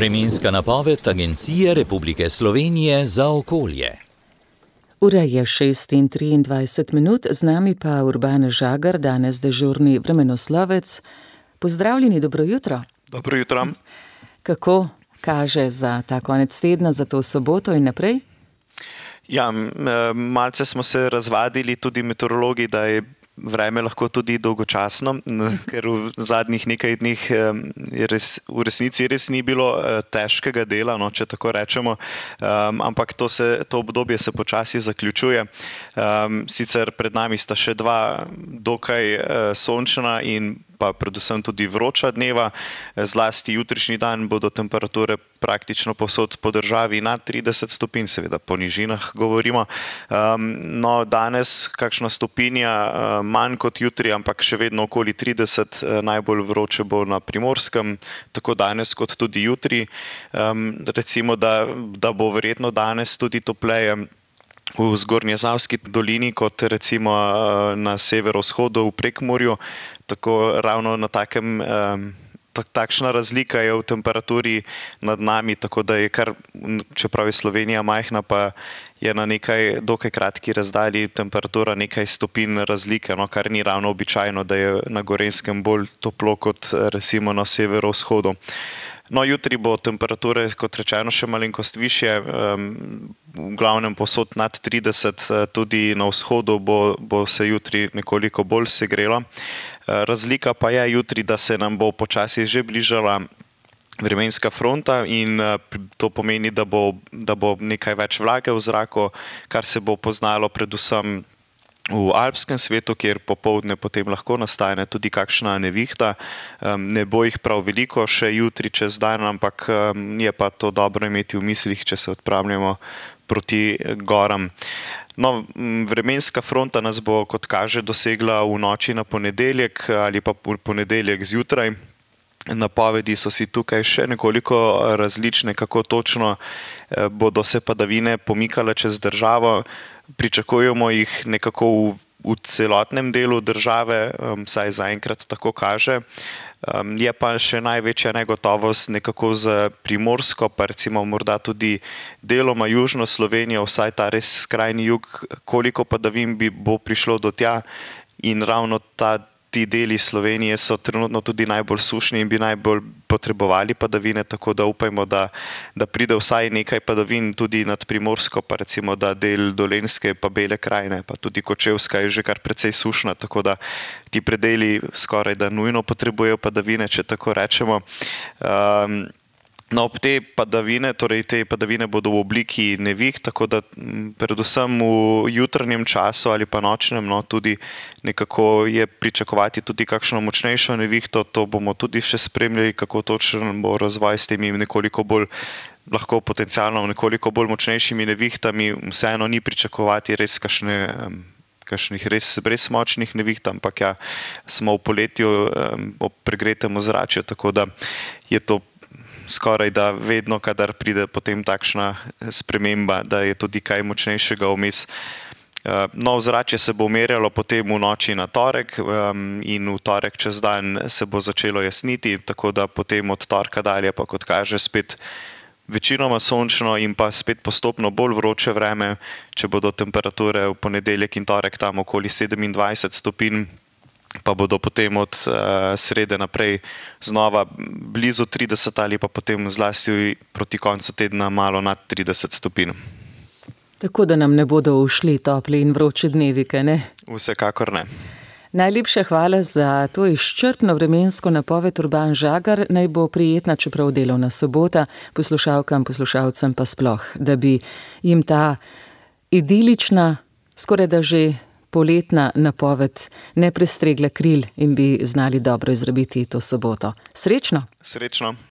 Vremenska napoved Agencije Republike Slovenije za okolje. Ura je 6:23, z nami pa Urban Žagar, danes dežurni vremenoslovec. Pozdravljeni, dobro jutro. Dobro jutro. Kako kaže za ta konec tedna, za to soboto in naprej? Ja, malce smo se razvadili tudi meteorologi, da je vreme lahko tudi dolgočasno, ker v zadnjih nekaj dneh v resnici res ni bilo težkega dela, no, če tako rečemo, ampak to obdobje se počasi zaključuje. Sicer pred nami sta še dva dokaj sončna in pa predvsem tudi vroča dneva, zlasti jutrišnji dan bodo temperature praktično povsod po državi nad 30 stopinj, seveda po nižinah govorimo. No, danes kakšna stopinja manj kot jutri, ampak še vedno okoli 30, najbolj vroče bo na Primorskem, tako danes kot tudi jutri. Recimo, da bo verjetno danes tudi topleje v Zgornjesavski dolini, kot recimo na severovzhodu v Prekmurju, tako ravno na takem, takšna razlika je v temperaturi nad nami, tako da je kar, čeprav je Slovenija majhna, pa je na nekaj dokaj kratki razdalji temperatura nekaj stopinj razlike, no, kar ni ravno običajno, da je na Gorenjskem bolj toplo kot recimo na severovzhodu. No, jutri bo temperature, kot rečeno, še malenkost višje, v glavnem povsod nad 30, tudi na vzhodu bo se jutri nekoliko bolj segrelo. Razlika pa je jutri, da se nam bo počasi že bližala vremenska fronta in to pomeni, da bo nekaj več vlage v zraku, kar se bo poznalo predvsem v alpskem svetu, kjer popoldne potem lahko nastane tudi kakšna nevihta. Ne bo jih prav veliko še jutri čez dan, ampak je pa to dobro imeti v mislih, če se odpravljamo proti goram. No, vremenska fronta nas bo, kot kaže, dosegla v noči na ponedeljek ali pa v ponedeljek zjutraj. Napovedi so si tukaj še nekoliko različne, kako točno bodo se padavine pomikale čez državo. Pričakujemo jih nekako v celotnem delu države, vsaj zaenkrat tako kaže. Je pa še največja negotovost nekako z Primorsko, pa recimo morda tudi deloma južno Slovenijo, vsaj ta res skrajni jug, koliko padavin bo prišlo do tja, in ravno ti deli Slovenije so trenutno tudi najbolj sušni in bi najbolj potrebovali padavine, tako da upajmo, da pride vsaj nekaj padavin tudi nad Primorsko, pa recimo, da del Dolenjske pa Bele krajine, pa tudi Kočevska je že kar precej sušna, tako da ti predeli skoraj da nujno potrebujejo padavine, če tako rečemo. No, te padavine bodo v obliki neviht, tako da predvsem v jutranjem času ali pa nočnem, no, tudi nekako je pričakovati tudi kakšno močnejšo nevihto. To bomo tudi še spremljali, kako točen bo razvoj s temi nekoliko bolj, lahko potencialno nekoliko bolj močnejšimi nevihtami. Vseeno ni pričakovati res kakšnih res močnih neviht, ampak ja, smo v poletju ob pregretem ozračju, tako da je to skoraj da vedno, kadar pride potem takšna sprememba, da je tudi kaj močnejšega vmes. No, ozračje se bo umirjalo potem v noči na torek in v torek čez dan se bo začelo jasniti, tako da potem od torka dalje pa, kot kaže, spet večinoma sončno in pa spet postopno bolj vroče vreme, če bodo temperature v ponedeljek in torek tam okoli 27 stopinj, pa bodo potem od srede naprej znova blizu 30 ali pa potem zlasti proti koncu tedna malo nad 30 stopinj. Tako da nam ne bodo ušli topli in vroči dnevi, kaj ne? Vsekakor ne. Najlepša hvala za to izčrpno vremensko napoved, Urban Žagar. Naj bo prijetna, čeprav delovna sobota, poslušalkam, poslušalcem pa sploh, da bi jim ta idilična, skoraj da že poletna napoved ne prestregla kril in bi znali dobro izrabiti to soboto. Srečno! Srečno!